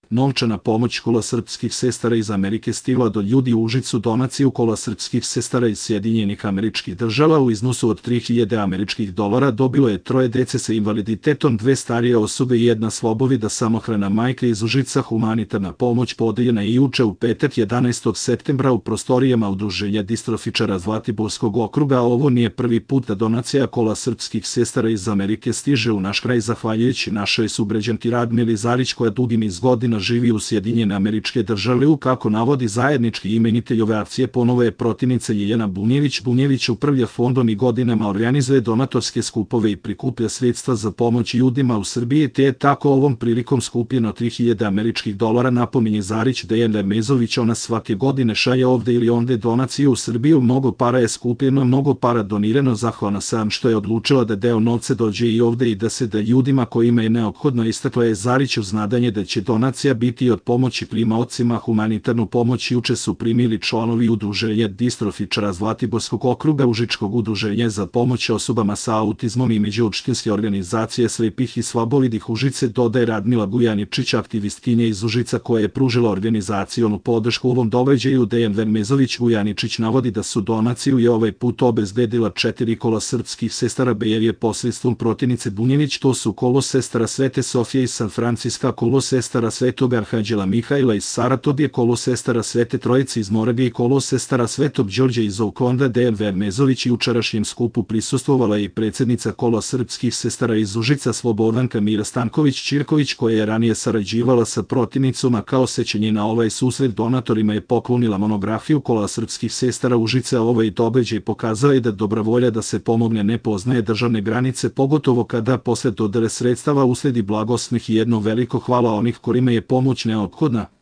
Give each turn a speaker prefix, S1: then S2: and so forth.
S1: Novčana pomoć Kola srpskih sestara iz Amerike stigla do ljudi u Užicu. Donaciju Kola srpskih sestara iz Sjedinjenih Američkih Država u iznosu od 3000 američkih dolara dobilo je 3 dece sa invaliditetom, 2 starije osobe i 1 slobovida samohrana majka iz Užica. Humanitarna pomoć podeljena je juče u petak 11. septembra u prostorijama Udruženja distrofičara Zlatiborskog okruga. Ovo nije prvi put da donacija Kola srpskih sestara iz Amerike stiže u naš kraj zahvaljujući našoj sugrađanki Radmili Zarić, koja dugi niz godina živi u Sjedinjene Američke Države. Kako navodi zajednički imenitelj ove akcije, ponovo je protivnica Jeljana Bunjević. Bunjević upravlja fondom i godinama organizuje donatorske skupove i prikuplja sredstva za pomoć ljudima u Srbiji, te je tako ovom prilikom skupljeno 3000 američkih dolara. Napominje Zarić Dejan Vermezović, ona svake godine šalje ovde ili onde donaciju u Srbiju. Mnogo para je skupljeno, mnogo para donirano. Zahvalna sam što je odlučila da deo novca dođe i ovde i da se da ljudima kojima je neophodno, istakla je Zarić uz nadanje da će donacija biti od pomoći primaocima. Humanitarnu pomoć juče su primili članovi Udruženja distrofičara Zlatiborskog okruga, Užičkog udruženja za pomoć osobama sa autizmom i međuopštinske organizacije slepih i slabovidih Užice, dodaje Radmila Bujaničić, aktivistkinja iz Užica koja je pružila organizacionu podršku ovom događaju. Dejan Vermezović Bujaničić navodi da su donaciju je ovaj put obezbedila 4 kola srpskih sestara Bejelje posredstvom protivnice Bunjević. To su Kolo sestara Svete Sofije iz San Franciska, Kolo sestara Svetog Arhanđela Mihajla iz Saratobije, Kolo sestara Svete Trojice iz Moravije i Kolo sestara Svetog Đorđa iz Okonda. Dejan Vermezović i jučerašnjem skupu prisustvovala je i predsjednica Kola srpskih sestara iz Užica Slobodanka Mira Stanković-Ćirković, koja je ranije sarađivala sa protivnicom, a kao sećanje na ovaj susret donatorima je poklonila monografiju Kola srpskih sestara Užice. Ovaj događaj pokazao je da dobra volja da se pomogne ne poznaje državne granice, pogotovo kada posle dodele sredstava usledi blagosmeh i jedno veliko hvala onih kojima je pomoć neophodna.